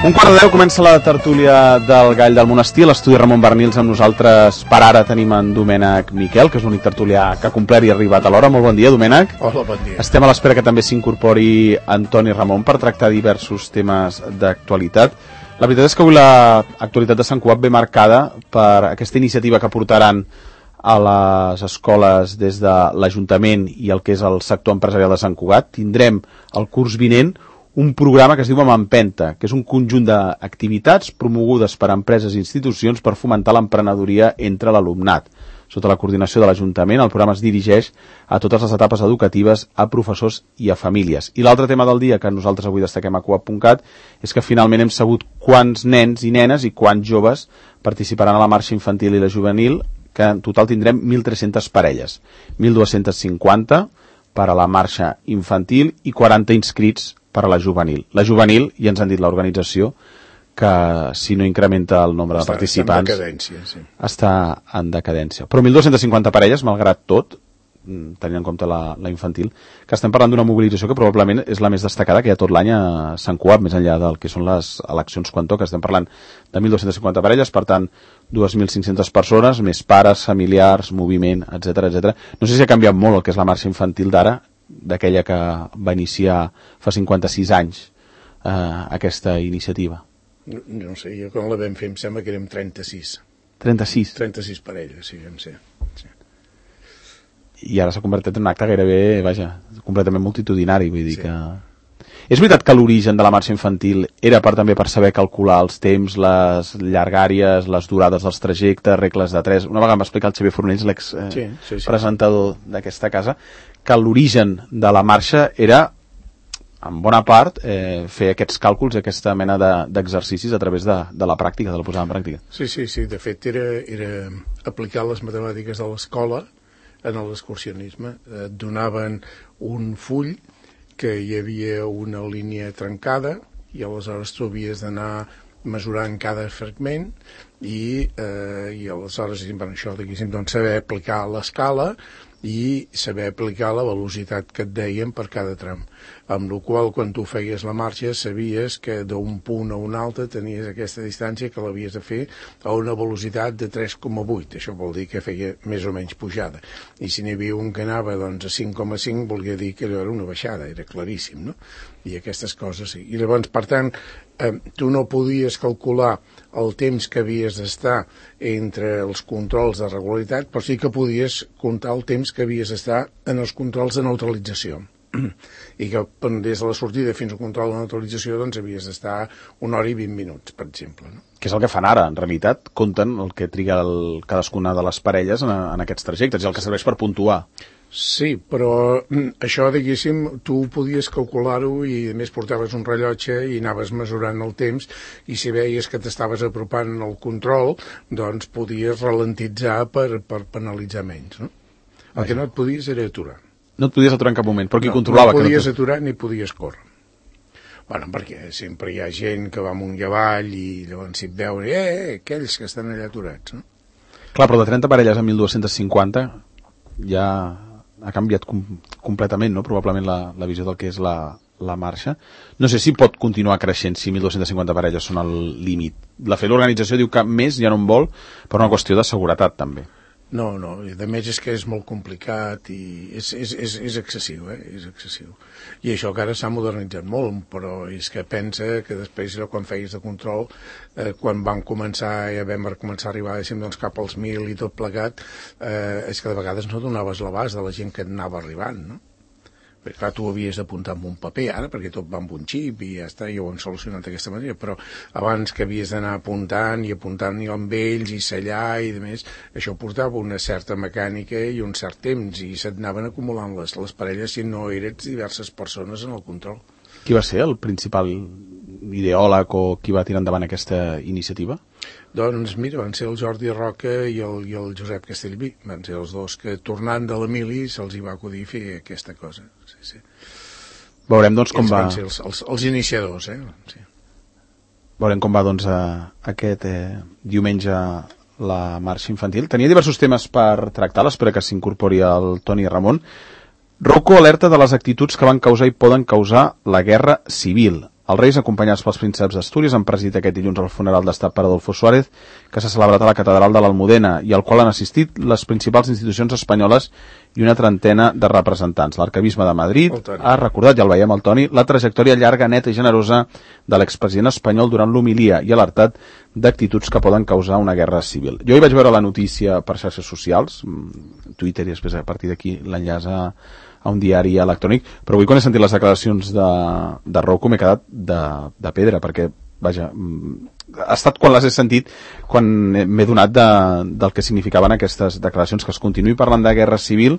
1:15 comença la tertúlia del Gall del Monestir, l'estudi Ramon Bernils. Amb nosaltres per ara tenim en Domènec Miquel, que és l'únic tertulià que ha complert i ha arribat a l'hora. Molt bon dia, Domènec. Hola, bon dia. Estem a l'espera que també s'incorpori Antoni Ramon per tractar diversos temes d'actualitat. La veritat és que avui l'actualitat de Sant Cugat ve marcada per aquesta iniciativa que portaran a les escoles des de l'Ajuntament i el que és el sector empresarial de Sant Cugat. Tindrem el curs vinent un programa que es diu Empenta, que és un conjunt d'activitats promogudes per empreses i institucions per fomentar l'emprenedoria entre l'alumnat. Sota la coordinació de l'Ajuntament, el programa es dirigeix a totes les etapes educatives, a professors i a famílies. I l'altre tema del dia que nosaltres avui destaquem a Cugat.cat és que finalment hem sabut quants nens i nenes i quants joves participaran a la marxa infantil i la juvenil, que en total tindrem 1.300 parelles, 1.250 per a la marxa infantil i 40 inscrits per a la juvenil. La juvenil, ja ens han dit l'organització, que si no incrementa el nombre de participants està en decadència. Però 1.250 parelles, malgrat tot, tenint en compte la infantil, que estem parlant d'una mobilització que probablement és la més destacada que hi ha tot l'any a Sant Cugat, més enllà del que són les eleccions quan toca. Estem parlant de 1.250 parelles, per tant 2.500 persones, més pares, familiars, moviment, etc. No sé si ha canviat molt el que és la marxa infantil d'ara, d'aquella que va iniciar fa 56 anys aquesta iniciativa. No sé, jo quan la vam fer em sembla que érem 36. 36? 36 parelles, sí, vam ser. Sí. I ara s'ha convertit en un acte gairebé, completament multitudinari, vull dir que... És veritat que l'origen de la marxa infantil era també per saber calcular els temps, les llargàries, les durades dels trajectes, regles de 3. Una vegada m'ha explicat el Xavier Fornells, l'ex-presentador d'aquesta casa, que l'origen de la marxa era, en bona part, fer aquests càlculs, aquesta mena d'exercicis a través de la pràctica, de la posada en pràctica. Sí, de fet era aplicar les matemàtiques de l'escola en l'excursionisme. Et donaven un full que hi havia una línia trencada i aleshores tu havies d'anar mesurant cada fragment i aleshores això, doncs, saber aplicar l'escala i saber aplicar la velocitat que et deien per cada tram, amb la qual quan tu feies la marxa sabies que d'un punt a un altre tenies aquesta distància que l'havies de fer a una velocitat de 3,8. Això vol dir que feia més o menys pujada, i si n'hi havia un que anava doncs, a 5,5 volia dir que allò era una baixada, era claríssim, no? I aquestes coses sí. I llavors, per tant, tu no podies calcular el temps que havies d'estar entre els controls de regularitat, però sí que podies comptar el temps que havies d'estar en els controls de neutralització. I que des de la sortida fins al control de neutralització doncs havies d'estar 1 hora i 20 minuts, per exemple, no? Que és el que fan ara, en realitat, compten el que triga cadascuna de les parelles en aquests trajectes, i el que serveix per puntuar. Sí, però això, diguéssim, tu podies calcular-ho i a més portaves un rellotge i anaves mesurant el temps i si veies que t'estaves apropant al control, doncs podies ralentitzar per penalitzar menys, no? El que no et podies era aturar. No et podies aturar en cap moment, però qui controlava? No podies aturar ni podies córrer. Bueno, perquè sempre hi ha gent que va amunt i avall i llavors si et veuen, aquells que estan allà aturats, no? Clar, però de 30 parelles a 1.250 ja ha canviat completament, no? Probablement la visió del que és la marxa. No sé si pot continuar creixent si 1.250 parelles són el límit. L'organització diu que més ja no en vol per una qüestió de seguretat, també. No, i a més és que és molt complicat i és excessiu, és excessiu. I això que ara s'ha modernitzat molt, però és que pensa que després, quan feies de control, quan vam començar a arribar, doncs, cap als 1.000 i tot plegat, és que de vegades no donaves l'abast de la gent que anava arribant, no? Perquè clar, tu havies d'apuntar amb un paper ara, perquè tot va amb un xip i ja està, i ho han solucionat d'aquesta manera, però abans que havies d'anar apuntant i amb ells i sellar i demés, això portava una certa mecànica i un cert temps i se't anaven acumulant les parelles si no eres diverses persones en el control. Qui va ser el principal ideòleg o qui va tirar endavant aquesta iniciativa? Doncs mira, van ser el Jordi Roca i el Josep Castellví. Van ser els dos que, tornant de la mili, se'ls hi va acudir fer aquesta cosa. Sí. Veurem, doncs, com va... Van ser els iniciadors, Sí. Veurem com va, doncs, aquest diumenge la marxa infantil. Tenia diversos temes per tractar, l'espera que s'incorpori el Toni Ramon. Rocco alerta de les actituds que van causar i poden causar la guerra civil. Els Reis, acompanyats pels prínceps d'Astúries, han presidit aquest dilluns el funeral d'estat per Adolfo Suárez, que s'ha celebrat a la catedral de l'Almudena i al qual han assistit les principals institucions espanyoles i una trentena de representants. L'Arquebisbe de Madrid ha recordat, ja el veiem el Toni, la trajectòria llarga, neta i generosa de l'expresident espanyol durant l'homilia i alertat d'actituds que poden causar una guerra civil. Jo hi vaig veure la notícia per xarxes socials, Twitter, i després a partir d'aquí l'enllaç a un diari electrònic, però avui quan he sentit les declaracions de Rocco m'he quedat de pedra, perquè vaja, ha estat quan les he sentit quan m'he donat del que significaven aquestes declaracions, que es continuï parlant de guerra civil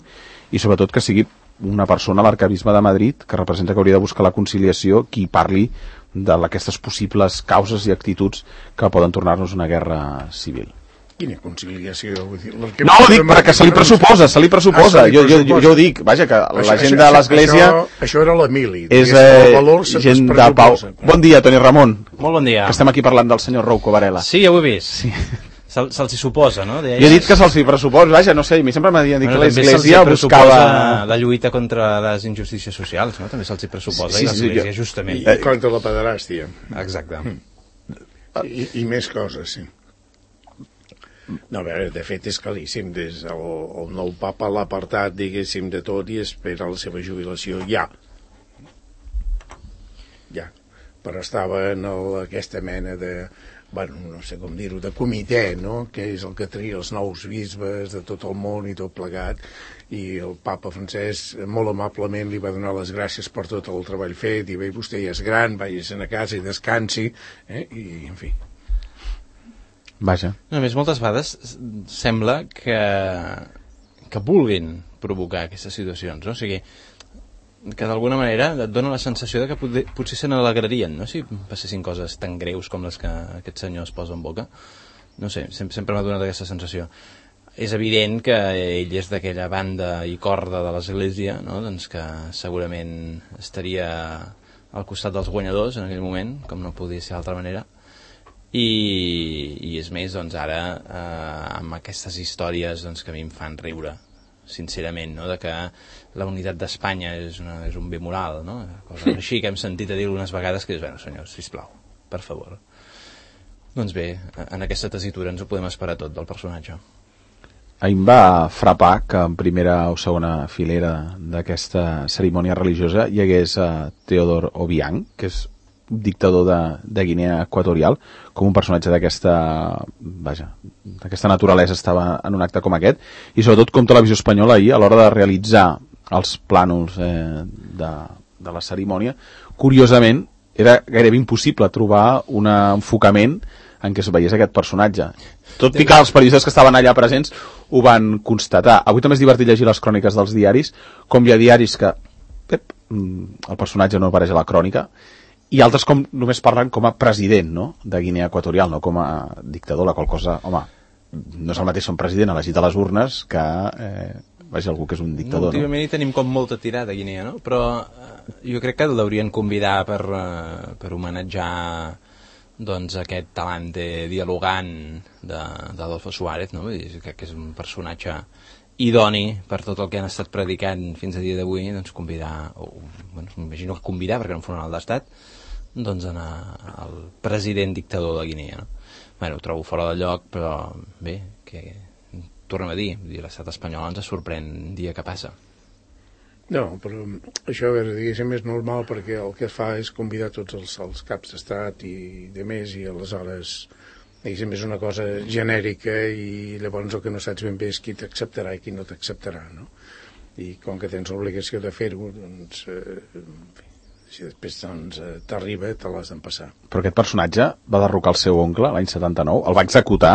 i sobretot que sigui una persona, l'arquebisbe de Madrid, que representa que hauria de buscar la conciliació, qui parli d'aquestes possibles causes i actituds que poden tornar-nos una guerra civil. Quina conciliació? Vull dir, no, ho dic perquè se li pressuposa. Jo ho dic, vaja, que la gent de l'Església... Això era la mili. És gent de pau. Bon dia, Toni Ramon. Molt bon dia. Que estem aquí parlant del senyor Rouco Varela. Sí, ja ho he vist. Sí. Se'ls hi suposa, no? Jo he dit que se'ls hi pressuposa, vaja, no sé, a mi sempre m'ha dit que l'Església buscava... la lluita contra les injustícies socials, no? També se'ls hi pressuposa, i l'Església, justament. I contra la pederàstia. Exacte. I més coses, sí. No, a veure, de fet és claríssim, des el nou papa l'ha apartat, diguéssim, de tot i espera la seva jubilació ja. Però estava en aquesta mena de, bueno, no sé com dir-ho, de comitè, no?, que és el que tria els nous bisbes de tot el món i tot plegat, i el papa francès molt amablement li va donar les gràcies per tot el treball fet, i bé, vostè ja és gran, vagi-se'n a casa i descansi, i en fi. Vaja. A més, moltes vegades sembla que vulguin provocar aquestes situacions, no? O sigui, que d'alguna manera et dona la sensació de que potser se n'alegrarien, no?, si passessin coses tan greus com les que aquest senyor es posa en boca. No sé, sempre m'ha donat aquesta sensació. És evident que ell és d'aquella banda i corda de l'Església, no?, doncs que segurament estaria al costat dels guanyadors en aquell moment, com no podia ser d'altra manera. I és més, doncs ara amb aquestes històries doncs, que a mi em fan riure, sincerament, no?, de que la unitat d'Espanya és un bé moral, no?, coses així que hem sentit a dir unes vegades que és, bueno, senyors, sisplau, per favor. Doncs bé, en aquesta tessitura ens ho podem esperar tot del personatge. A mi em va frapar que en primera o segona filera d'aquesta cerimònia religiosa hi hagués Teodor Obiang, que és dictador de Guinea Equatorial, com un personatge d'aquesta naturalesa estava en un acte com aquest, i sobretot com Televisió Espanyola ahir, a l'hora de realitzar els plànols de la cerimònia, curiosament era gairebé impossible trobar un enfocament en què es veiés aquest personatge, tot i que els periodistes que estaven allà presents ho van constatar. Avui també és divertit llegir les cròniques dels diaris, com hi ha diaris que el personatge no apareix a la crònica, i altres com només parlen com a president, no?, de Guinea Equatorial, no com a dictador, la qual cosa, home, no és el mateix ser un president elegit a les urnes que algú que és un dictador. Últimament hi tenim com molta tirada a Guinea, no?, però jo crec que l'haurien convidat per homenatjar doncs aquest talante dialogant d'Adolfo Suárez, no?, crec que és un personatge idoni per tot el que han estat predicant fins a dia d'avui, doncs convidar, m'imagino que convidar, perquè era un funeral d'estat, doncs anar al president dictador de Guinea, no? Ho trobo fora de lloc, però bé, que tornem a dir, l'estat espanyol ens sorprèn dia que passa. No, però això, a veure, diguéssim, és normal perquè el que fa és convidar tots els caps d'estat i de més, i aleshores, diguéssim, és una cosa genèrica i llavors el que no saps ben bé és qui t'acceptarà i qui no t'acceptarà, no? I com que tens l'obligació de fer-ho, doncs, en fi, si després t'arriba, te l'has d'empassar. Però aquest personatge va derrocar el seu oncle l'any 79, el va executar,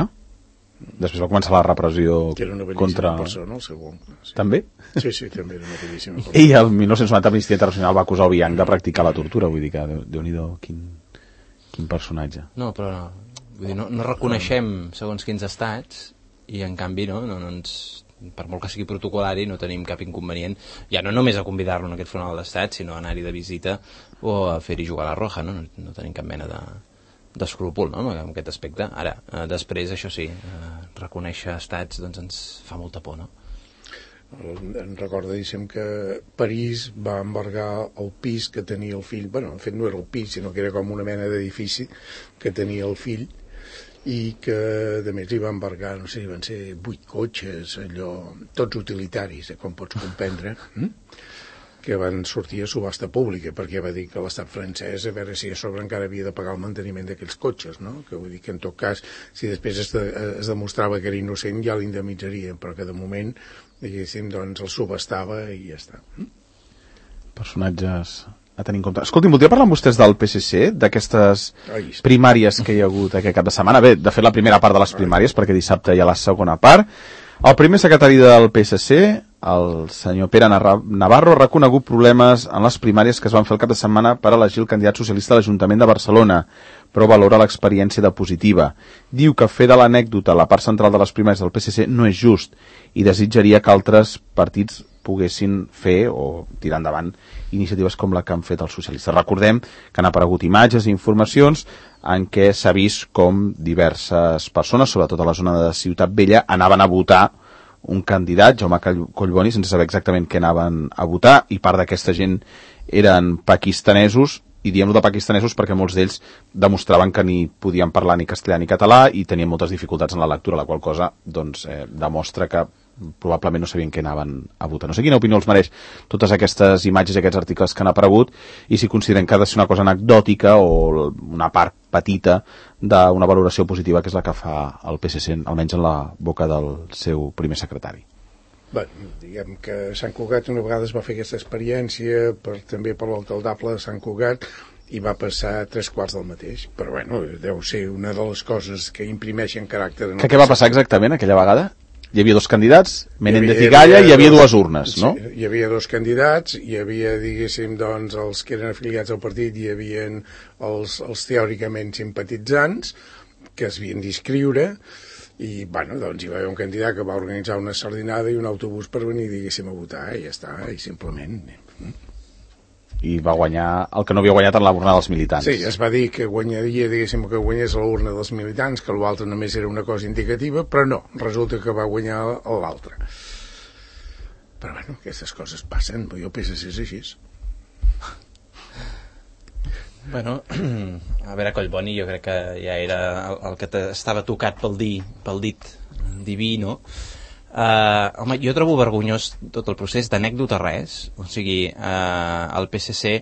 després va començar la repressió contra... Que era una bellíssima persona, el seu oncle. Sí. També? Sí, també era una bellíssima persona. I el 1990 Amnistia Internacional va acusar Obiang de practicar la tortura, vull dir que, Déu-n'hi-do, quin personatge. No, però vull dir, no reconeixem segons quins estats i en canvi no ens... per molt que sigui protocolari no tenim cap inconvenient, ja no només a convidar-lo en aquest funeral d'estat, sinó a anar-hi de visita o a fer-hi jugar a la roja, no tenim cap mena d'escrúpol, no?, en aquest aspecte. Ara, després, això sí, reconèixer estats doncs ens fa molta por, no? Em recordo, diguéssim, que París va embargar el pis que tenia el fill. Bueno, en fet no era el pis, sinó que era com una mena d'edifici que tenia el fill, i que a més li va embargar, no sé, van ser 8 cotxes, allò, tots utilitaris, com pots comprendre, que van sortir a subhasta pública, perquè va dir que l'estat francès, a veure si a sobre encara havia de pagar el manteniment d'aquells cotxes, no? Que vull dir que en tot cas, si després es demostrava que era innocent, ja l'indemnitzarien, però que de moment, diguéssim, doncs el subhastava i ja està. Personatges a tenir en compte. Escolti, voldria parlar amb vostès del PSC, d'aquestes primàries que hi ha hagut aquest cap de setmana. Bé, de fet, la primera part de les primàries, perquè dissabte hi ha la segona part. El primer secretari del PSC, el senyor Pere Navarro, ha reconegut problemes en les primàries que es van fer el cap de setmana per elegir el candidat socialista a l'Ajuntament de Barcelona, però valora l'experiència de positiva. Diu que fer de l'anècdota la part central de les primàries del PSC no és just i desitjaria que altres partits poguessin fer o tirar endavant iniciatives com la que han fet els socialistes. Recordem que han aparegut imatges i informacions en què s'ha vist com diverses persones, sobretot a la zona de Ciutat Vella, anaven a votar un candidat, Jaume Collboni, sense saber exactament què anaven a votar, i part d'aquesta gent eren pakistanesos, i diem-ho de pakistanesos perquè molts d'ells demostraven que ni podien parlar ni castellà ni català i tenien moltes dificultats en la lectura, la qual cosa doncs, demostra que probablement no sabien què anaven a votar. No sé quina opinió els mereix totes aquestes imatges i aquests articles que han aparegut i si consideren que ha de ser una cosa anecdòtica o una part petita d'una valoració positiva que és la que fa el PSC, almenys en la boca del seu primer secretari. Bé, diguem que Sant Cugat una vegada es va fer aquesta experiència també per l'alcaldable de Sant Cugat i va passar 3/4 del mateix, però bueno, deu ser una de les coses que imprimeixen caràcter. Què va passar exactament aquella vegada? Hi havia 2 candidats, Menéndez i Galla, i hi havia 2 urnes, no? Sí, hi havia 2 candidats, hi havia, diguéssim, doncs, els que eren afiliats al partit, hi havia els teòricament simpatitzants, que es havien d'inscriure, i, bueno, doncs hi va haver un candidat que va organitzar una sardinada i un autobús per venir, diguéssim, a votar, i ja està, i simplement... I va guanyar el que no havia guanyat en la urna dels militants. Sí, es va dir que guanyaria, diguéssim, que guanyés la urna dels militants, que l'altre només era una cosa indicativa, però no, resulta que va guanyar l'altre. Però bueno, aquestes coses passen, jo penso que és així. Bueno, a veure, Collboni jo crec que ja era el que estava tocat pel dit diví, no? Home, jo trobo vergonyós tot el procés, d'anècdota res, o sigui, el PSC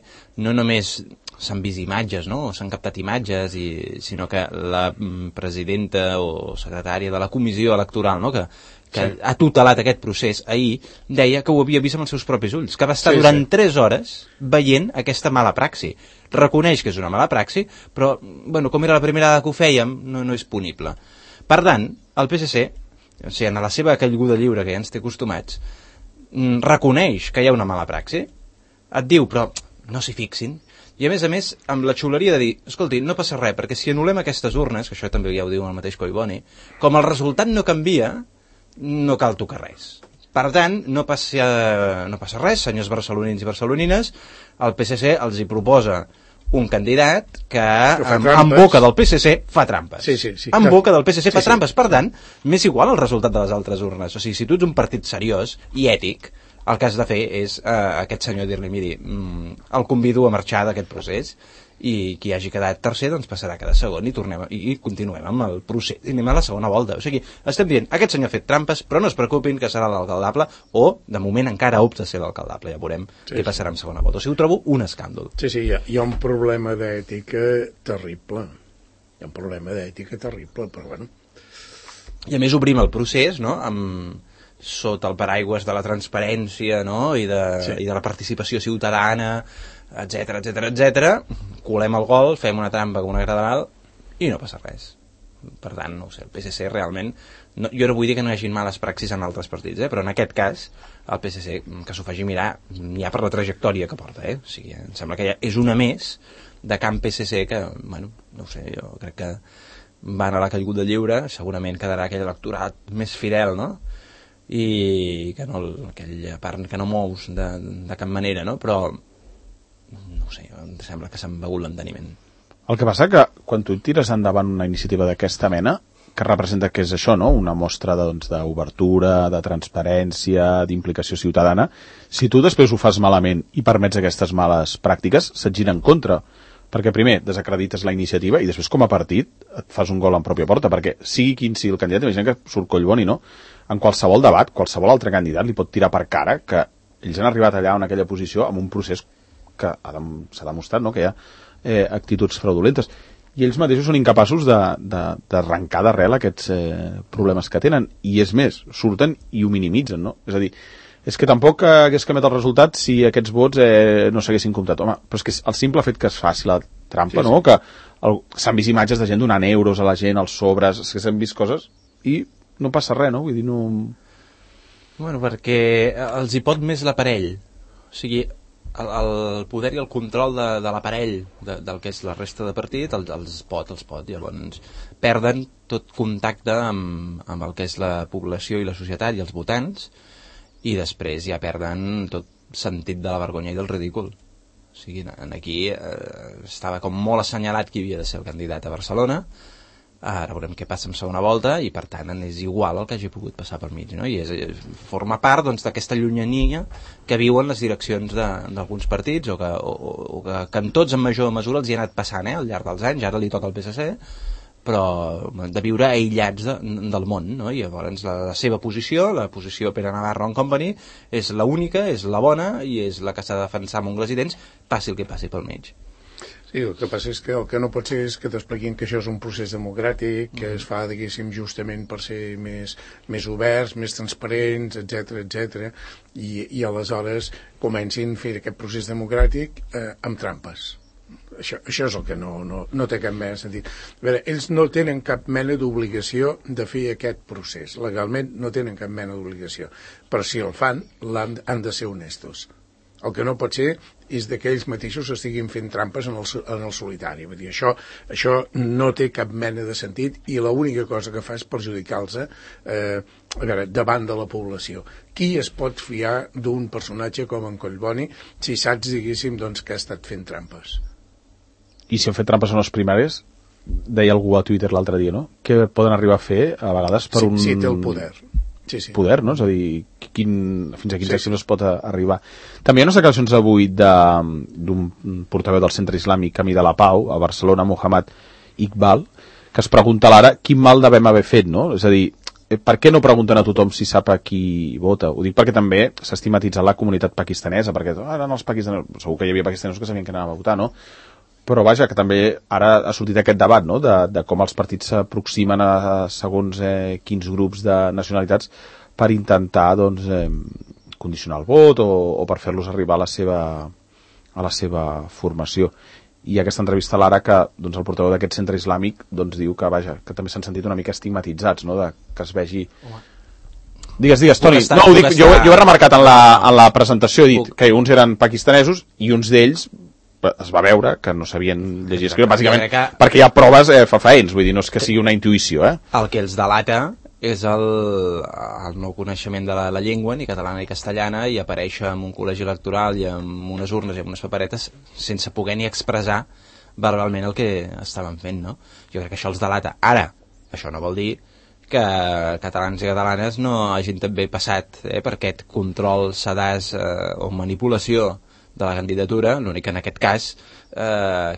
no només s'han vist imatges, no? S'han captat imatges, sinó que la presidenta o secretària de la comissió electoral, no? que ha tutelat aquest procés ahir, deia que ho havia vist amb els seus propis ulls, que va estar durant 3 hores veient aquesta mala praxi. Reconeix que és una mala praxi, però, bueno, com era la primera vegada que ho fèiem, no és punible. Per tant, el PSC, o sigui, en la seva caiguda lliure que ja ens té acostumats, reconeix que hi ha una mala praxi, et diu, però no s'hi fixin, i a més, amb la xuleria de dir, escolti, no passa res, perquè si anul·lem aquestes urnes, que això també ja ho diu el mateix Collboni, com el resultat no canvia, no cal tocar res. Per tant, no passa res, senyors barcelonins i barcelonines, el PSC els hi proposa un candidat que en boca del PSC fa trampes. Sí, en boca del PSC fa trampes. Per tant, m'és igual el resultat de les altres urnes. O sigui, si tu ets un partit seriós i ètic, el que has de fer és aquest senyor dir-li, miri, el convido a marxar d'aquest procés i qui hagi quedat tercer doncs passarà a quedar segon i continuem amb el procés i anem a la segona volta. O sigui, estem dient, aquest senyor ha fet trampes, però no es preocupin que serà l'alcaldable, o de moment encara opta a ser l'alcaldable, ja veurem què passarà en segona volta. O sigui, ho trobo un escàndol. Sí, hi ha un problema d'ètica terrible. Hi ha un problema d'ètica terrible, però bueno. I a més obrim el procés, no?, sota el paraigües de la transparència, no?, i de la participació ciutadana, etc. Colem el gol, fem una trampa com una graderal i no passa res. Per tant, no ho sé, el PSC realment jo no vull dir que no hi hagi males praxis en altres partits, però en aquest cas el PSC, que s'ho faci mirar ja per la trajectòria que porta, o sigui, em sembla que ja és una més de camp PSC que, bueno, no ho sé, jo crec que van a la caiguda lliure, segurament quedarà aquell electorat més fidel, no?, i que no, aquella part que no mous de cap manera, no?, però no ho sé, em sembla que s'han begut l'enteniment. El que passa que quan tu tires endavant una iniciativa d'aquesta mena, que representa que és això, no? Una mostra d'obertura, de transparència, d'implicació ciutadana. Si tu després ho fas malament i permets aquestes males pràctiques, se't gira en contra. Perquè primer desacredites la iniciativa i després com a partit et fas un gol en pròpia porta, perquè sigui quin sigui el candidat, imagina que surt Collboni, no? En qualsevol debat, qualsevol altre candidat li pot tirar per cara que ells han arribat allà en aquella posició amb un procés que s'ha demostrat, no? Que hi ha actituds fraudulentes. I ells mateixos són incapaços d'arrencar d'arrel aquests problemes que tenen. I és més, surten i ho minimitzen, no? És a dir, és que tampoc hagués canviat el resultat si aquests vots no s'haguessin comptat. Home, però és que el simple fet que es faci la trampa, sí, no? Que s'han vist imatges de gent donant euros a la gent, als sobres, és que s'han vist coses i no passa res, no? Vull dir, no... Bueno, perquè els hi pot més l'aparell. O sigui, el poder i el control de l'aparell del que és la resta de partit els pot. Llavors perden tot contacte amb el que és la població i la societat i els votants, i després ja perden tot sentit de la vergonya i del ridícul. O sigui, aquí estava com molt assenyalat qui havia de ser el candidat a Barcelona. Ara veurem què passa en segona volta i per tant és igual el que hagi pogut passar per mig, no? I forma part d'aquesta llunyania que viuen les direccions d'alguns partits o que en tots en major mesura els hi ha anat passant al llarg dels anys. Ara li toca al PSC, però de viure aïllats del món, no? I llavors la seva posició, la posició Pere Navarro and Company, és l'única, és la bona i és la que s'ha de defensar amb ungles i dents, passi el que passi pel mig. Sí, el que passa és que el que no pot ser és que t'expliquin que això és un procés democràtic, que es fa, diguéssim, justament per ser més oberts, més transparents, etc, i aleshores comencin a fer aquest procés democràtic amb trampes. Això és el que no té cap mena de sentit. A veure, ells no tenen cap mena d'obligació de fer aquest procés. Legalment no tenen cap mena d'obligació. Però si el fan, han de ser honestos. El que no pot ser és que ells mateixos estiguin fent trampes en el solitari. Vull dir, això no té cap mena de sentit i l'única cosa que fa és perjudicar-los davant de la població. Qui es pot fiar d'un personatge com en Collboni si saps, diguéssim, que ha estat fent trampes? I si han fet trampes en les primàries, deia algú a Twitter l'altre dia, no? Que poden arribar a fer a vegades per un... Sí, té el poder. Sí. Poder, no? És a dir, fins a quins accions es pot arribar. També hi ha unes declaracions avui d'un portaveu del Centre Islàmic Camí de la Pau, a Barcelona, Mohamed Iqbal, que es pregunta a l'ara quin mal devem haver fet, no? És a dir, per què no pregunten a tothom si sap a qui vota? Ho dic perquè també s'ha estigmatitzat la comunitat pakistanesa, perquè eren els pakistanesos, segur que hi havia pakistanesos que sabien que anaven a votar, no? Però vaja, que també ara ha sortit aquest debat, no?, de com els partits s'aproximen a segons quins grups de nacionalitats per intentar, condicionar el vot o per fer-los arribar a la seva formació. I aquesta entrevista a l'Ara que el portaveu d'aquest centre islàmic diu que, vaja, que també s'han sentit una mica estigmatitzats, no?, que es vegi... Digues, Toni. No, ho dic, jo he remarcat en la presentació, he dit que uns eren pakistanesos i uns d'ells es va veure que no sabien llegir i escriure, bàsicament perquè hi ha proves fefaents, vull dir, no és que sigui una intuïció. El que els delata és el no coneixement de la llengua, ni catalana ni castellana, i aparèixer en un col·legi electoral i amb unes urnes i amb unes paperetes sense poder ni expressar verbalment el que estaven fent, no? Jo crec que això els delata. Ara, això no vol dir que catalans i catalanes no hagin també passat per aquest control sedàs o manipulació de la candidatura, l'únic que en aquest cas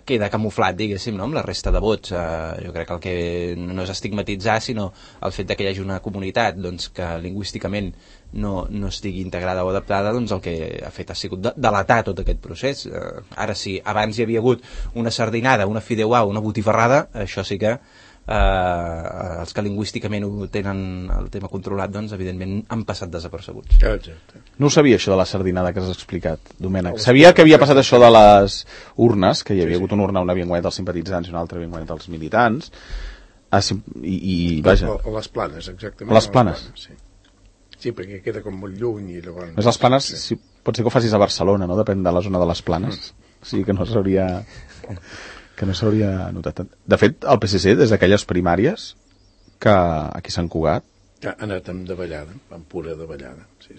queda camuflat, diguéssim, no?, amb la resta de vots. Jo crec que el que no és estigmatitzar, sinó el fet que hi hagi una comunitat que lingüísticament no estigui integrada o adaptada, el que ha fet ha sigut delatar tot aquest procés. Ara, si abans hi havia hagut una sardinada, una fideuà, una botifarrada, això sí que els que lingüísticament ho tenen el tema controlat, evidentment han passat desapercebuts. Exacte. No ho sabia, això de la sardinada que has explicat, Domènec. Sabia que havia passat això de les urnes, que hi havia hagut una urna on havien guanyat els simpatitzants i una altra havien guanyat els militants, i vaja... A les Planes, exactament. A les Planes. Sí, perquè queda com molt lluny i llavors... Més les Planes, sí. Pot ser que ho facis a Barcelona, no? Depèn de la zona de les Planes. O sigui que no s'hauria notat tant. De fet, el PSC, des d'aquelles primàries que aquí s'han Cugat... Ha anat amb davallada, amb pura davallada, sí.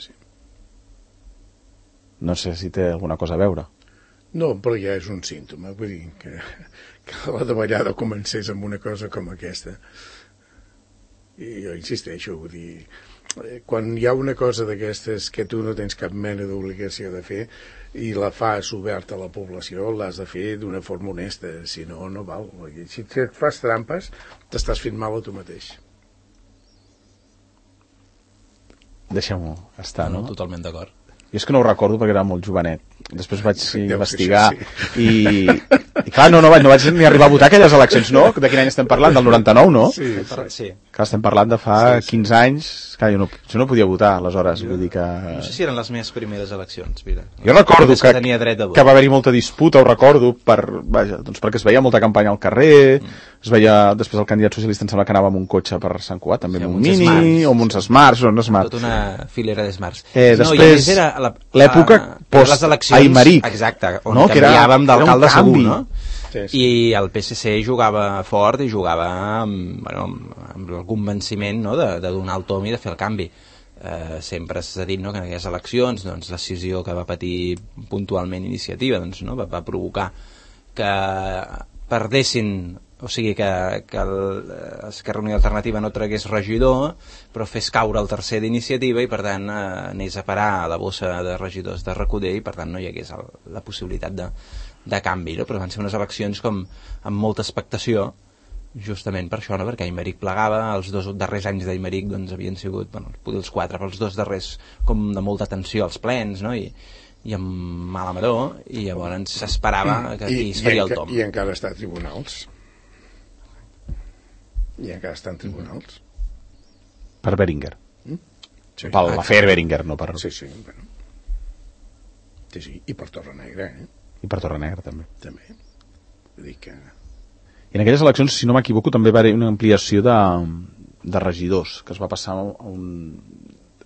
No sé si té alguna cosa a veure. No, però ja és un símptoma, vull dir que la davallada comencés amb una cosa com aquesta. I jo insisteixo, vull dir, quan hi ha una cosa d'aquestes que tu no tens cap mena d'obligació de fer i la fas oberta a la població, l'has de fer d'una forma honesta, si no, no val. Si et fas trampes, t'estàs fent mal a tu mateix. Deixem-ho estar, no? Totalment d'acord. Jo és que no ho recordo perquè era molt jovenet. Després vaig investigar i clar, no vaig ni arribar a votar aquelles eleccions, no? De quin any estem parlant? Del 99, no? Sí. Clar, estem parlant de fa 15 anys. Clar, jo no podia votar, aleshores. Vull dir que... No sé si eren les meves primeres eleccions, mira. Jo recordo que tenia dret a votar. Que va haver-hi molta disputa, ho recordo, perquè es veia molta campanya al carrer, es veia, després el candidat socialista em sembla que anava amb un cotxe per Sant Cugat, també amb un Mini, o amb uns Smarts, Tota una filera de Smarts. Després, l'època post-Aimeric. Exacte, on canviàvem d'alcalde segur, no? Sí. I el PSC jugava fort i jugava amb el convenciment, no?, de donar el tom i de fer el canvi. Sempre s'ha dit, no?, que en aquelles eleccions, doncs, la decisió que va patir puntualment Iniciativa, doncs, no?, va provocar que perdessin, o sigui que Esquerra Unida Alternativa no tragués regidor, però fes caure el tercer d'Iniciativa i per tant anés a parar a la bossa de regidors de Recoder i per tant no hi hagués la possibilitat de canvi, no? Però van ser unes eleccions com amb molta expectació, justament per això, no? Perquè Aimeric plegava, els 2 darrers anys d'Aimeric doncs, havien sigut, potser els 4, però els 2 darrers com de molta tensió als plens, no? I amb mala maror, i llavors s'esperava que aquí es faria el tom. I encara està a tribunals. I encara està en tribunals. Per Beringer. Sí. Per l'afer Beringer, no per... Sí, bueno. Sí, i per Torrenegra, I per Torrenegra, també. També. Vull dir que... I en aquelles eleccions, si no m'equivoco, també va haver una ampliació de regidors, que es va passar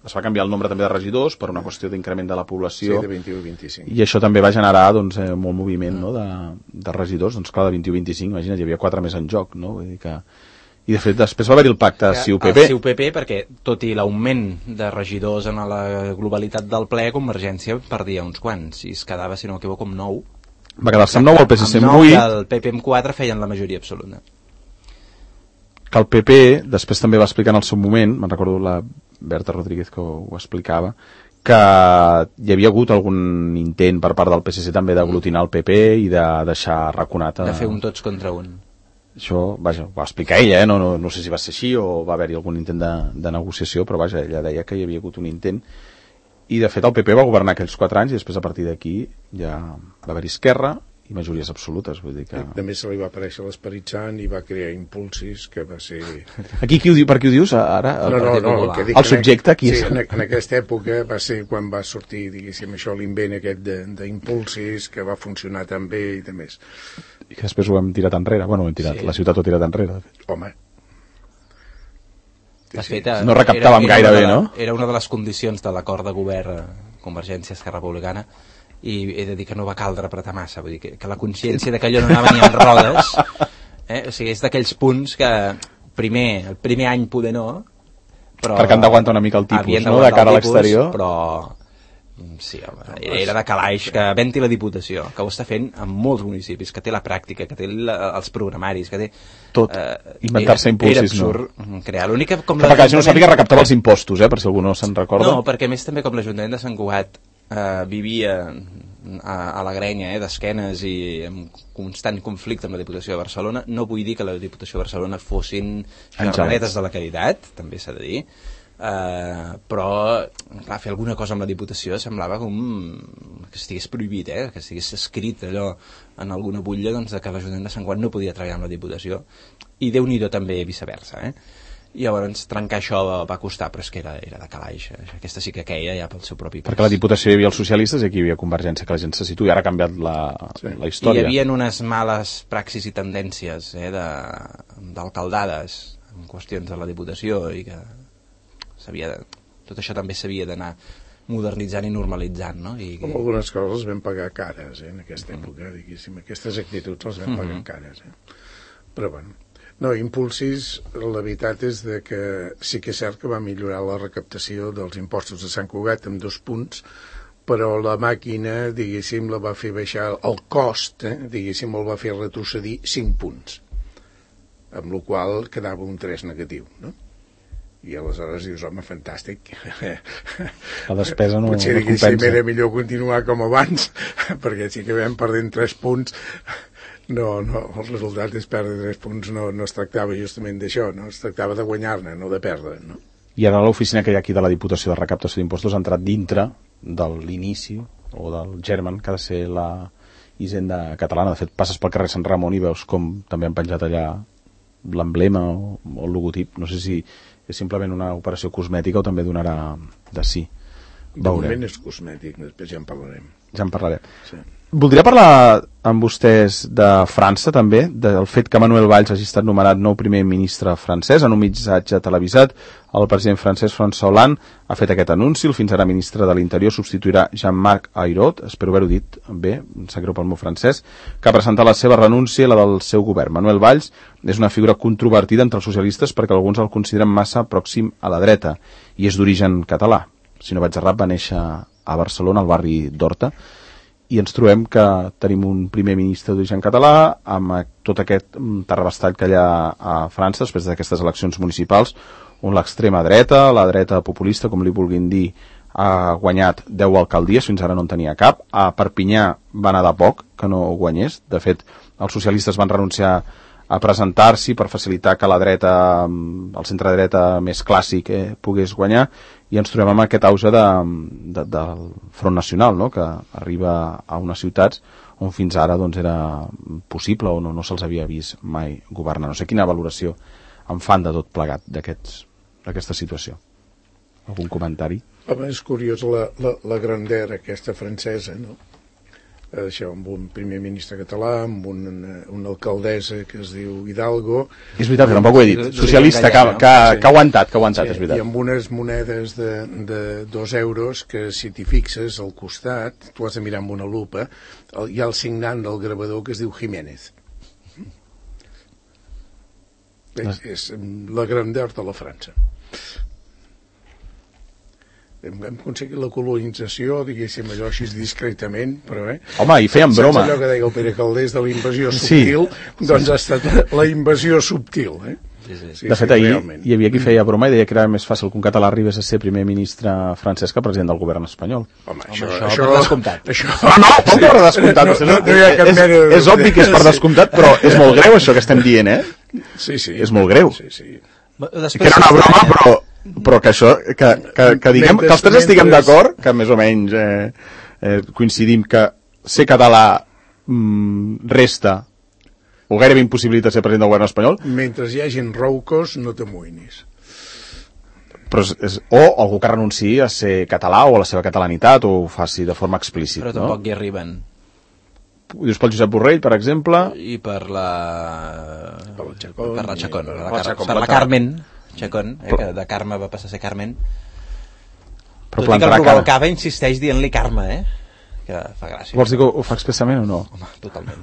es va canviar el nombre també de regidors per una qüestió d'increment de la població. Sí, de 21 a 25. I això també va generar doncs, molt moviment, no?, de regidors. Doncs clar, de 21 a 25, imagina't, hi havia 4 més en joc, no? Vull dir que... I de fet després va haver-hi el pacte CiU-PP. El CiU-PP, perquè tot i l'augment de regidors en la globalitat del ple, Convergència perdia uns quants i es quedava, si no m'equivoco, amb 9. Va quedar-se amb 9, el PSC amb 8. Amb 9 i el PP amb 4 feien la majoria absoluta. Que el PP després també va explicar en el seu moment, me'n recordo la Berta Rodríguez que ho explicava, que hi havia hagut algun intent per part del PSC també d'aglutinar el PP i de deixar raconat... De fer un tots contra un. Això, vaja, ho va explicar ella, no sé si va ser així o va haver-hi algun intent de negociació, però vaja, ella deia que hi havia hagut un intent i de fet el PP va governar aquells 4 anys i després a partir d'aquí ja va haver-hi Esquerra i majories absolutes, vull dir que... També se li va aparèixer l'Esperit Sant i va crear Impulsis, que va ser... Aquí per qui ho dius, ara? No, que dic, el subjecte, qui és? Sí, en aquesta època va ser quan va sortir, diguéssim, això, l'invent aquest d'Impulsis, que va funcionar tan bé i de més. I que després ho hem tirat enrere. Bueno, ho hem tirat, sí. La ciutat ho ha tirat enrere. Home. De fet, no recaptàvem gaire bé, no? Era una de les condicions de l'acord de govern Convergència Esquerra Republicana i he de dir que no va caldre apretar massa, vull dir que la consciència de que allò no anava ni en rodes, o sigui, és d'aquells punts que el primer any poder no, però... Perquè han d'aguantar una mica el tipus, no?, de cara a l'exterior. Però sí, home, era de calaix que venti la Diputació, que ho està fent en molts municipis, que té la pràctica, que té els programaris, que té... Tot, inventar-se Impulsis, no? Era absurd crear. L'única com que perquè no sàpiga recaptar els impostos, per si algú no se'n recorda. No, perquè més també com l'Ajuntament de Sant Cugat vivia a la grenya d'esquenes i en constant conflicte amb la Diputació de Barcelona, no vull dir que la Diputació de Barcelona fossin germanetes de la caritat, també s'ha de dir, però clar, fer alguna cosa amb la Diputació semblava com que estigués prohibit, que estigués escrit allò en alguna butlla, doncs, que l'Ajuntament de Sant Cugat no podia treballar amb la Diputació, i Déu-n'hi-do també viceversa, i llavors trencar això va costar, però és que era de calaix, aquesta sí que queia ja pel seu propi pes. Perquè a la Diputació hi havia els socialistes i aquí hi havia Convergència, que la gent se situa i ara ha canviat la història. I hi havia unes males praxis i tendències d'alcaldades en qüestions de la Diputació i que tot això també s'havia d'anar modernitzant i normalitzant, no? Com algunes coses vam pagar cares en aquesta època, diguéssim, aquestes actituds les vam pagar cares, però bueno. No, Impulsis, la veritat és que sí que és cert que va millorar la recaptació dels impostos de Sant Cugat en 2 punts, però la màquina, diguéssim, la va fer baixar el cost, diguéssim, el va fer retrocedir 5 punts, amb la qual quedava un 3 negatiu, no? I aleshores dius, home, fantàstic. La despesa no Potser compensa. era millor continuar com abans, perquè si acabem perdent 3 punts, no, el resultat és perdre 3 punts, no es tractava justament d'això, no? Es tractava de guanyar-ne, no de perdre, no? I ara l'oficina que hi ha aquí de la Diputació de Recaptació d'Impostos ha entrat dintre de l'inici o del germen que ha de ser la Hisenda catalana. De fet, passes pel carrer Sant Ramon i veus com també han penjat allà l'emblema o el logotip. No sé si és simplement una operació cosmètica o també donarà de sí. De moment és cosmètic, després ja en parlarem. Ja en parlarem. Sí. Voldria parlar amb vostès de França també, del fet que Manuel Valls hagi estat nomenat nou primer ministre francès. En un missatge televisat, el president francès François Hollande ha fet aquest anunci. El fins ara ministre de l'Interior substituirà Jean-Marc Ayrault, espero haver-ho dit bé, em sap greu pel meu francès, que ha presentat la seva renúncia i la del seu govern. Manuel Valls és una figura controvertida entre els socialistes perquè alguns el consideren massa pròxim a la dreta i és d'origen català. Si no vaig errat, va néixer a Barcelona, al barri d'Horta, i ens trobem que tenim un primer ministre d'origen català amb tot aquest terrabastall que hi ha a França després d'aquestes eleccions municipals on l'extrema dreta, la dreta populista, com li vulguin dir, ha guanyat 10 alcaldies, fins ara no en tenia cap. A Perpinyà va anar de poc que no guanyés. De fet, els socialistes van renunciar a presentar-s'hi per facilitar que la dreta, el centre-dreta més clàssic pogués guanyar, i ens trobem amb aquest auge del Front Nacional, no?, que arriba a unes ciutats on fins ara doncs, era possible o no se'ls havia vist mai governar. No sé quina valoració en fan de tot plegat d'aquesta situació. Algun comentari? Home, és curiós la grandera aquesta francesa, no? Això, amb un primer ministre català, amb una alcaldessa que es diu Hidalgo. És veritat, que tampoc ho he dit. Socialista, que ha aguantat, sí, és veritat. I amb unes monedes de 2 euros que, si t'hi fixes al costat, tu has de mirar amb una lupa, hi ha el signant del gravador que es diu Jiménez. És la grandeur de la França. Hem aconseguit la colonització, diguéssim, allò així discretament, però Home, i feien broma. Saps allò que deia el Pere Calders de la invasió subtil? Sí. Doncs ha estat la invasió subtil, Sí, de fet, ahir hi havia qui feia broma i deia que era més fàcil que un català arribés a ser primer ministre francès que president del govern espanyol. Home, això per descomptat. Com per descomptat? No hi ha cap mena de... És obvi que és per descomptat, però és molt greu això que estem dient, Sí. És molt greu. Sí. Que era una broma, però que això, que diguem, que els tres estiguem d'acord, que més o menys coincidim que ser català resta o gairebé impossibilita ser president del govern espanyol. Mentre hi hagi roucos, no t'amoïnis. Però o algú que renunciï a ser català o a la seva catalanitat o ho faci de forma explícita. Però tampoc hi arriben. Ho dius pel Josep Borrell, per exemple? I per la Chacón. Per la Carmen Chacón, que de Carme va passar a ser Carmen. Però tot i que el Rubalcaba insisteix dient-li Carme, que fa gràcia. Vols dir que ho fa expressament o no? Home, totalment.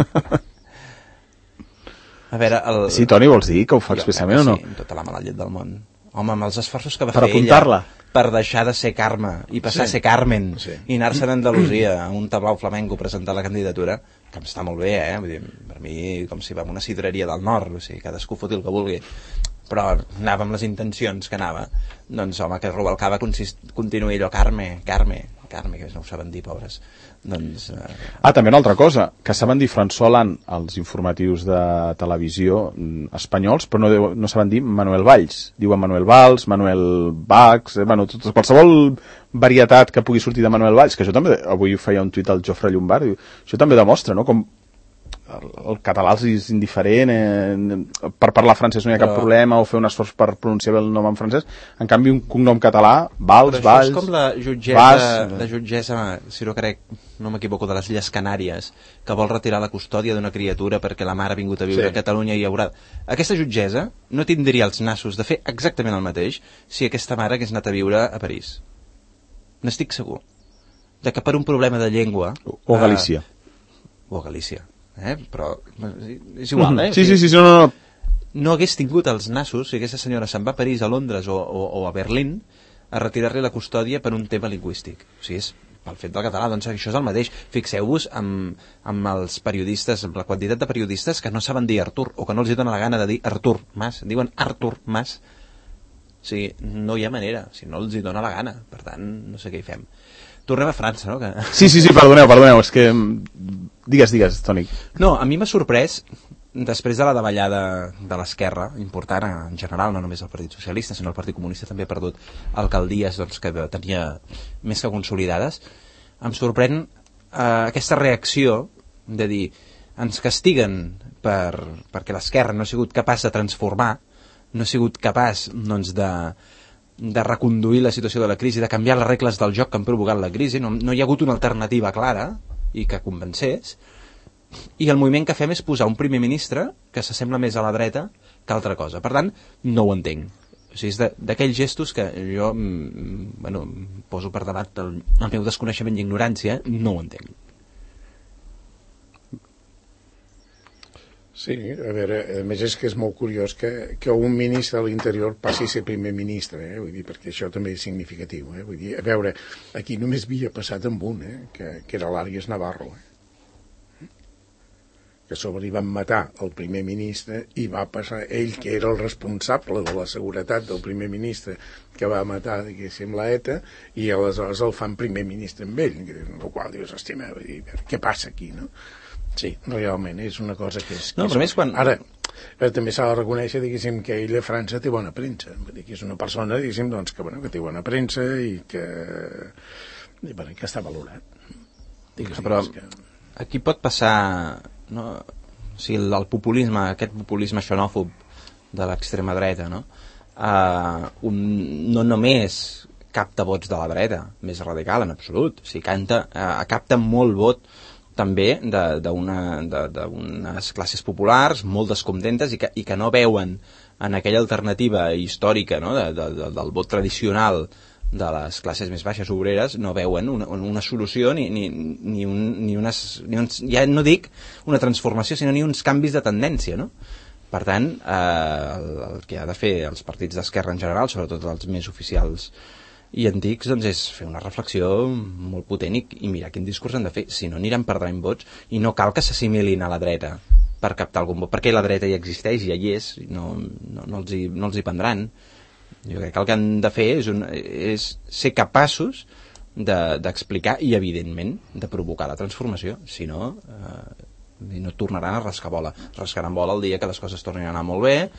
A veure, Sí, Toni, vols dir que ho fa expressament o no? Sí, amb tota la mala llet del món. Home, amb els esforços que va per fer ella per deixar de ser Carme i passar a ser Carmen i anar-se'n a Andalusia a un tablau flamenco a presentar la candidatura, que està molt bé, Vull dir, per mi, com si va a una sidreria del nord, o sigui, cadascú foti el que vulgui, però anava amb les intencions que anava. Doncs, home, que Rubalcaba continuï allò, Carme, que no ho saben dir, pobres. Doncs, també una altra cosa, que saben dir François Hollande als informatius de televisió espanyols, però no saben dir Manuel Valls. Diuen Manuel Valls, Manuel Bax, qualsevol varietat que pugui sortir de Manuel Valls, que això també, avui feia un tuit al Jofre Llombard, això també demostra, no?, com el català és indiferent, per parlar francès no hi ha cap problema, o fer un esforç per pronunciar bé el nom en francès. En canvi, un cognom català, Valls, és com la jutgessa, si no crec, no m'equivoco, de les Illes Canàries, que vol retirar la custòdia d'una criatura perquè la mare ha vingut a viure a Catalunya i haurà... Aquesta jutgessa no tindria els nassos de fer exactament el mateix si aquesta mare hagués anat a viure a París. N'estic segur. De que per un problema de llengua... O a Galícia. Però és igual, Sí, no. No hagués tingut els nassos si aquesta senyora se'n va a París, a Londres o a Berlín a retirar-li la custòdia per un tema lingüístic. O sigui, és pel fet del català, doncs això és el mateix. Fixeu-vos amb els periodistes, amb la quantitat de periodistes que no saben dir Artur, o que no els dona la gana de dir Artur Mas, diuen Artur Mas, O sigui, no hi ha manera, si no els hi dona la gana. Per tant, no sé què hi fem. Tornem a França, no? Que... Sí, perdoneu, és que... Digues, Toni. No, a mi m'ha sorprès, després de la davallada de l'esquerra, important en general, no només el Partit Socialista, sinó el Partit Comunista també ha perdut alcaldies doncs, que tenia més que consolidades, em sorprèn aquesta reacció de dir, ens castiguen perquè l'esquerra no ha sigut capaç de transformar, no ha sigut capaç doncs, de reconduir la situació de la crisi, de canviar les regles del joc que han provocat la crisi, no hi ha hagut una alternativa clara i que convencés, i el moviment que fem és posar un primer ministre que s'assembla més a la dreta que altra cosa. Per tant, no ho entenc. O sigui, és d'aquells gestos que jo poso per debat el meu desconeixement i ignorància, no ho entenc. Sí, a veure, a més és que és molt curiós que un ministre de l'Interior passi a ser primer ministre, vull dir, perquè això també és significatiu, vull dir, a veure, aquí només havia passat amb un, que era l'Àries Navarro, que a sobre li van matar el primer ministre i va passar ell, que era el responsable de la seguretat del primer ministre que va matar, diguéssim, l'ETA, i aleshores el fan primer ministre amb ell, el qual dius, hòstia, què passa aquí, no? Sí, realment, és una cosa que és... No, però més quan... Ara, també s'ha de reconèixer, diguéssim, que ell a França té bona premsa. Vull dir que és una persona, diguéssim, doncs, que té bona premsa i que està valorat. Però aquí pot passar... No? O sigui, el populisme, aquest populisme xenòfob de l'extrema dreta, no? No només capta vots de la dreta, més radical, en absolut. O sigui, capta molt vot també d'unes classes populars molt descontentes i que no veuen en aquella alternativa històrica, no? del vot tradicional de les classes més baixes obreres, no veuen una solució ni unes, ja no dic una transformació, sinó ni uns canvis de tendència, no? Per tant, el que ha de fer els partits d'esquerra en general, sobretot els més oficials i antics, doncs és fer una reflexió molt potent i mirar quin discurs han de fer, si no aniran perdent vots i no cal que s'assimilin a la dreta per captar algun vot, perquè la dreta ja existeix, ja hi és, no els hi prendran. Jo crec que el que han de fer és ser capaços d'explicar i evidentment de provocar la transformació, si no no tornaran a rascar bola. Rascaran bola el dia que les coses tornin a anar molt bé,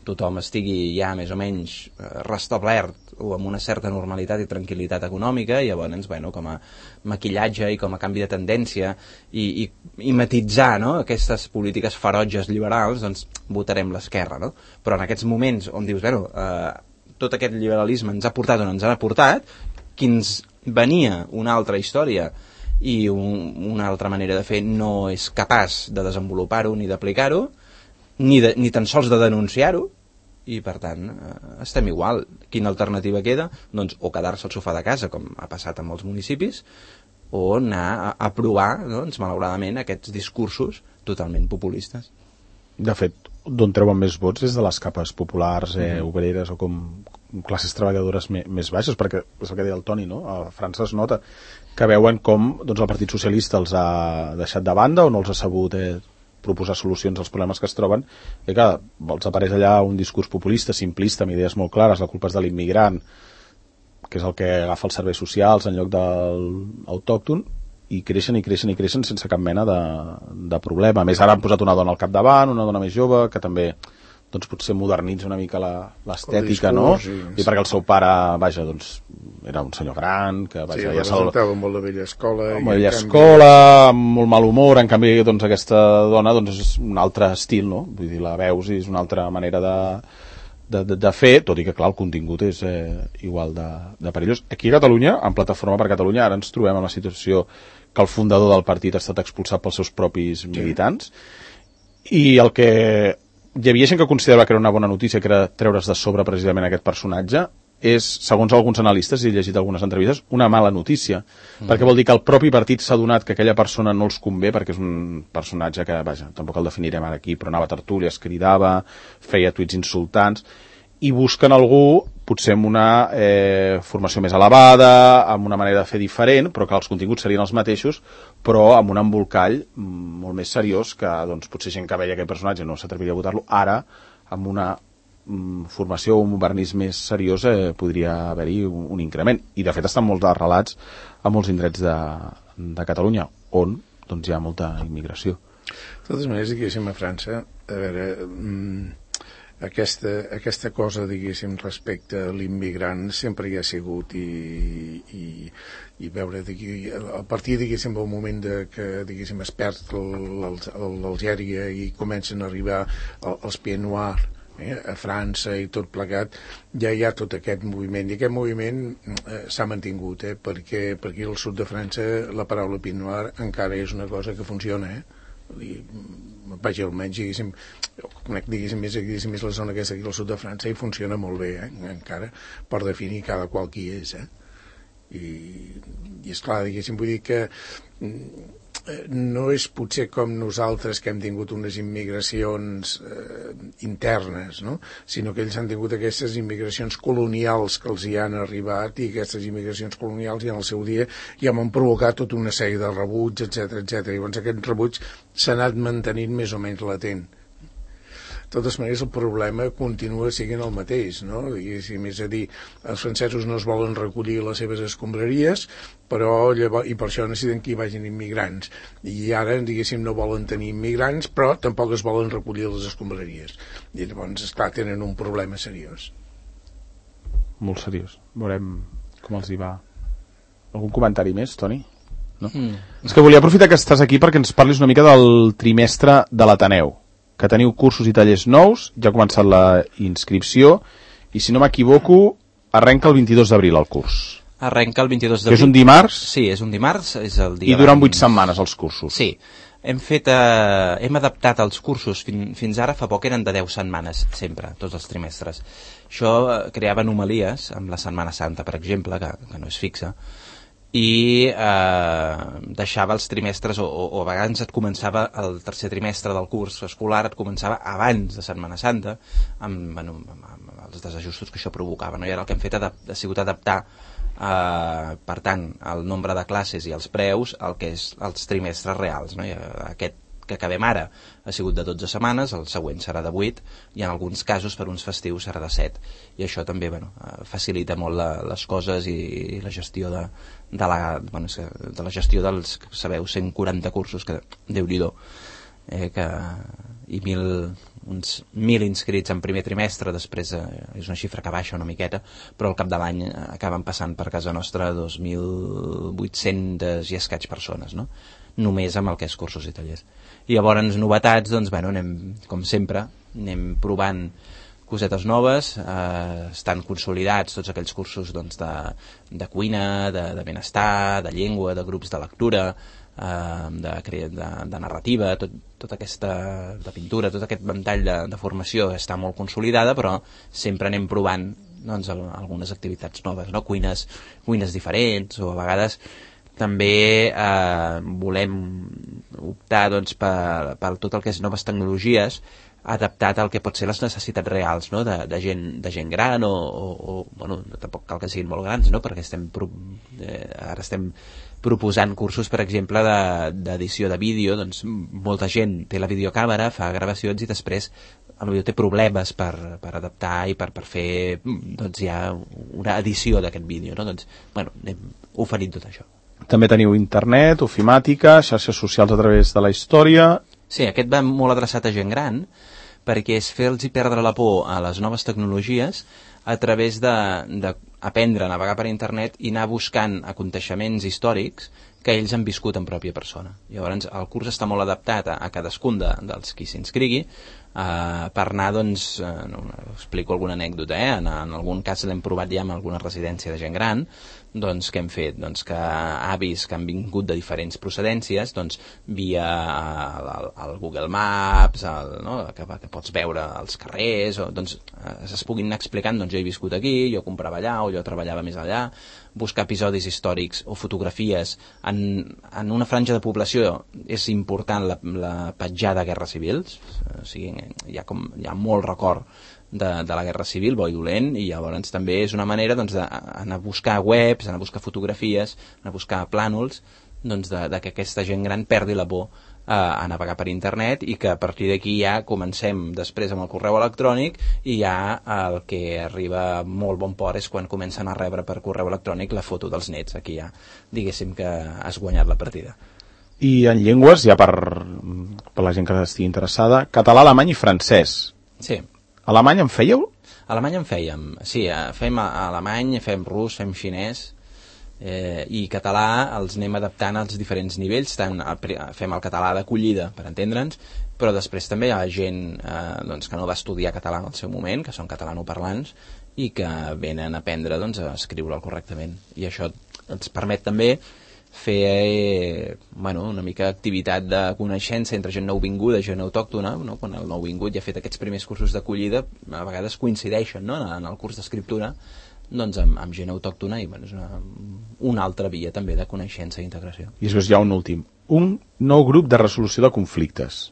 tothom estigui ja més o menys restablert o amb una certa normalitat i tranquil·litat econòmica, i llavors, com a maquillatge i com a canvi de tendència i matitzar, no? Aquestes polítiques ferotges liberals, doncs votarem l'esquerra, no? Però en aquests moments on dius, tot aquest liberalisme ens ha portat on ens ha portat, qui ens venia una altra història i una altra manera de fer no és capaç de desenvolupar-ho ni d'aplicar-ho, ni tan sols de denunciar-ho, i per tant estem igual. Quina alternativa queda? Doncs o quedar-se al sofà de casa, com ha passat en molts municipis, o anar a provar, doncs, malauradament, aquests discursos totalment populistes. De fet, d'on treuen més vots és de les capes populars, obreres o com classes treballadores més baixes, perquè és el que deia el Toni, no? A França es nota que veuen com doncs, el Partit Socialista els ha deixat de banda o no els ha sabut proposar solucions als problemes que es troben, i que els apareix allà un discurs populista, simplista, amb idees molt clares, la culpa és de l'immigrant, que és el que agafa els serveis socials en lloc de l'autòcton, i creixen sense cap mena de problema. A més, ara han posat una dona al capdavant, una dona més jove, que també doncs, potser modernitza una mica l'estètica, no? I perquè el seu pare, doncs, era un senyor gran, que ja representava molt la vella escola. Molt vella escola, amb molt mal humor, en canvi, doncs, aquesta dona doncs, és un altre estil, no? Vull dir, la veus i és una altra manera de fer, tot i que, clar, el contingut és igual de perillós. Aquí a Catalunya, en Plataforma per Catalunya, ara ens trobem en la situació que el fundador del partit ha estat expulsat pels seus propis militants, i el que hi havia gent que considerava que era una bona notícia, que era treure's de sobre precisament aquest personatge, és, segons alguns analistes, i he llegit algunes entrevistes, una mala notícia, perquè vol dir que el propi partit s'ha donat que aquella persona no els convé, perquè és un personatge que, tampoc el definirem ara aquí, però anava a tertúlies, cridava, feia tuits insultants, i busquen algú, potser amb una formació més elevada, amb una manera de fer diferent, però que els continguts serien els mateixos, però amb un embolcall molt més seriós, que doncs, potser gent que veia aquell personatge no s'atreviria a votar-lo, ara, amb una formació o un vernís més seriós podria haver-hi un increment. I de fet estan molts relats a molts indrets de Catalunya, on doncs, hi ha molta immigració. De totes maneres, diguéssim, a França, a veure, aquesta cosa, diguéssim, respecte a l'immigrant sempre hi ha sigut i veure, a partir, diguéssim, del moment que, diguéssim, es perd l'Algèria i comencen a arribar els Pieds Noirs a França i tot plegat, ja hi ha tot aquest moviment, i aquest moviment s'ha mantingut, perquè aquí al sud de França la paraula Pied Noir encara és una cosa que funciona, vaja, almenys, diguéssim, conec, diguéssim, més la zona que és aquí al sud de França i funciona molt bé, encara, per definir cada qual qui és, i esclar, diguéssim, vull dir que no és potser com nosaltres que hem tingut unes immigracions internes, no? Sinó que ells han tingut aquestes immigracions colonials que els hi han arribat, i aquestes immigracions colonials i en el seu dia ja m'han provocat tota una sèrie de rebuig, etc. Llavors aquest rebuig s'ha anat mantenint més o menys latent. De totes maneres, el problema continua sent el mateix, no? Diguéssim, és a dir, els francesos no es volen recollir les seves escombraries, però llavors, i per això necessiten que hi vagin immigrants. I ara, diguéssim, no volen tenir immigrants, però tampoc es volen recollir les escombraries. I llavors, esclar, tenen un problema seriós. Molt seriós. Veurem com els hi va. Algun comentari més, Toni? No? És que volia aprofitar que estàs aquí perquè ens parlis una mica del trimestre de l'Ateneu, que teniu cursos i tallers nous, ja ha començat la inscripció, i si no m'equivoco, arrenca el 22 d'abril el curs. Arrenca el 22 d'abril. Que és un dimarts? Sí, és un dimarts. És el dia I duren 8 setmanes els cursos. Sí. Hem adaptat els cursos, fins ara fa poc eren de 10 setmanes, sempre, tots els trimestres. Això creava anomalies, amb la Setmana Santa, per exemple, que no és fixa, i deixava els trimestres, o a vegades et començava el tercer trimestre del curs escolar, et començava abans de Setmana Santa, amb els desajustos que això provocava, no? I ara el que hem fet ha sigut adaptar, per tant, el nombre de classes i els preus al que és els trimestres reals, no? I aquest que acabem ara ha sigut de 12 setmanes, el següent serà de 8, i en alguns casos per uns festius serà de 7, i això també facilita molt les coses i la gestió de la gestió dels, sabeu, 140 cursos, que Déu-n'hi-do, i uns 1.000 inscrits en primer trimestre, després és una xifra que baixa una miqueta, però al cap de l'any acaben passant per casa nostra 2.800 i escaig persones, no? Només amb el que és cursos i tallers. I llavors novetats, doncs, anem, com sempre, anem provant cosetes noves, estan consolidats tots aquells cursos, doncs, de cuina, de benestar, de llengua, de grups de lectura, de narrativa, tota aquesta, de pintura, tot aquest ventall de formació està molt consolidada, però sempre anem provant, doncs, algunes activitats noves, no? Cuines diferents, o a vegades també volem optar, doncs, per tot el que és noves tecnologies, adaptat al que pot ser les necessitats reals, no? de gent gran, o bueno, tampoc cal que siguin molt grans, no? Perquè ara estem proposant cursos, per exemple, d'edició de vídeo. Doncs molta gent té la videocàmera, fa gravacions i després potser té problemes per adaptar i per fer, doncs, ja una edició d'aquest vídeo, no? Doncs, bueno, anem oferint tot això. També teniu internet, ofimàtica, xarxes socials a través de la història. Sí, aquest va molt adreçat a gent gran, perquè és fer-los perdre la por a les noves tecnologies a través d'aprendre a navegar per internet i anar buscant aconteixements històrics que ells han viscut en pròpia persona. Llavors, el curs està molt adaptat a cadascun dels qui s'inscrigui, per anar, doncs, explico alguna anècdota, en algun cas l'hem provat ja en alguna residència de gent gran, doncs, què hem fet? Doncs que avis que han vingut de diferents procedències, doncs, via el Google Maps, no? que pots veure els carrers, doncs, es puguin anar explicant, doncs, jo he viscut aquí, jo comprava allà, o jo treballava més allà, buscar episodis històrics o fotografies. En una franja de població és important la petjada de guerres civils, o sigui, hi ha molt record de la guerra civil, bo i dolent, i llavors també és una manera, doncs, d'anar a buscar webs, anar a buscar fotografies, anar a buscar plànols doncs de que aquesta gent gran perdi la por a navegar per internet, i que a partir d'aquí ja comencem després amb el correu electrònic, i ja el que arriba molt bon port és quan comencen a rebre per correu electrònic la foto dels nets. Aquí ja diguéssim que has guanyat la partida. I en llengües, ja per la gent que estigui interessada, català, alemany i francès. Sí. Alemany en fèieu? Alemany en fèiem, sí, fem alemany, fem rus, fem xinès, i català els anem adaptant als diferents nivells. Fem el català d'acollida, per entendre'ns, però després també hi ha gent doncs, que no va estudiar català en el seu moment, que són catalanoparlants i que venen a aprendre doncs, a escriure'l correctament, i això ens permet també fer una mica d'activitat de coneixença entre gent nouvinguda, gent autòctona, no? Quan el nouvingut ja ha fet aquests primers cursos d'acollida, a vegades coincideixen, no? En el curs d'escriptura, doncs amb gent autòctona, i és una altra via també de coneixença i integració. I després hi ha un últim, un nou grup de resolució de conflictes.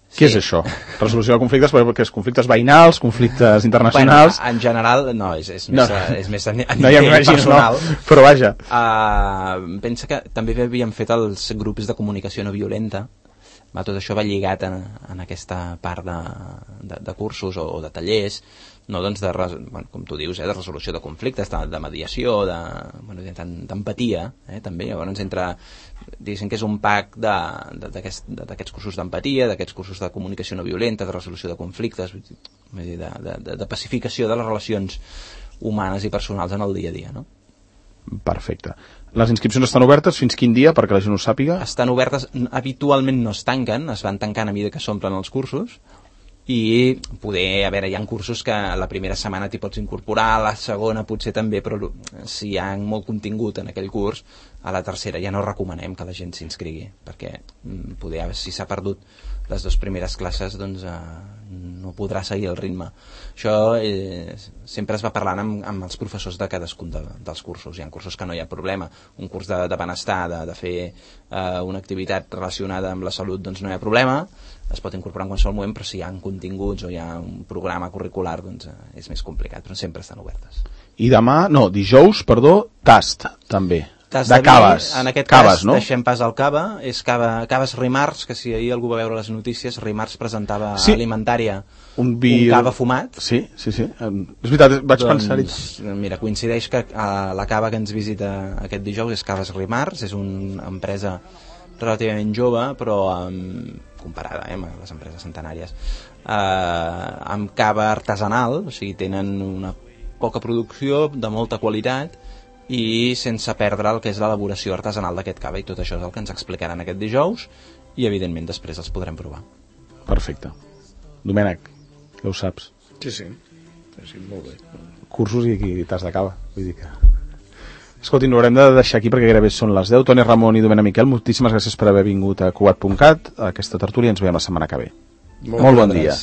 Què és això? Resolució de conflictes, perquè és conflictes veïnals, conflictes internacionals... En general, no, és més a nivell personal. No, però vaja. Pensa que també havíem fet els grups de comunicació no violenta. Tot això va lligat en aquesta part de cursos o de tallers, no, doncs com tu dius, de resolució de conflictes, de mediació, d'empatia, també. Llavors diguéssim que és un pack d'aquests cursos d'empatia, d'aquests cursos de comunicació no violenta, de resolució de conflictes, de pacificació de les relacions humanes i personals en el dia a dia, no? Perfecte. Les inscripcions estan obertes fins quin dia, perquè la gent ho sàpiga? Estan obertes, habitualment no es tanquen, es van tancant a mesura que s'omplen els cursos, i hi ha cursos que la primera setmana t'hi pots incorporar, la segona potser també, però si hi ha molt contingut en aquell curs, a la tercera ja no recomanem que la gent s'inscrigui, perquè si s'ha perdut les 2 primeres classes, doncs no podrà seguir el ritme. Això sempre es va parlant amb els professors de cadascun dels cursos. Hi ha cursos que no hi ha problema. Un curs de benestar, de fer una activitat relacionada amb la salut, doncs no hi ha problema, es pot incorporar en qualsevol moment, però si hi ha continguts o hi ha un programa curricular, doncs és més complicat, però sempre estan obertes. I dijous, tast, també. Tast de caves. En aquest caves, cas, no? deixem pas al cava, és caves Rimarts, que si ahir algú va veure les notícies, Rimarts presentava alimentària un cava fumat. Sí. És veritat, vaig pensar-hi. Mira, coincideix que la cava que ens visita aquest dijous és Caves Rimarts, és una empresa relativament jove, però comparada amb les empreses centenàries, amb cava artesanal, o sigui, tenen una poca producció, de molta qualitat, i sense perdre el que és l'elaboració artesanal d'aquest cava, i tot això és el que ens explicaran aquest dijous, i evidentment després els podrem provar. Perfecte. Domènec, ja ho saps. Sí, molt bé. Cursos i tas de cava, vull dir que... Escolti, ho haurem de deixar aquí perquè gairebé són les 10. Toni Ramon i Domènec Miquel, moltíssimes gràcies per haver vingut a Cugat.cat, a aquesta tertúlia, ens veiem la setmana que ve. Molt bon dia.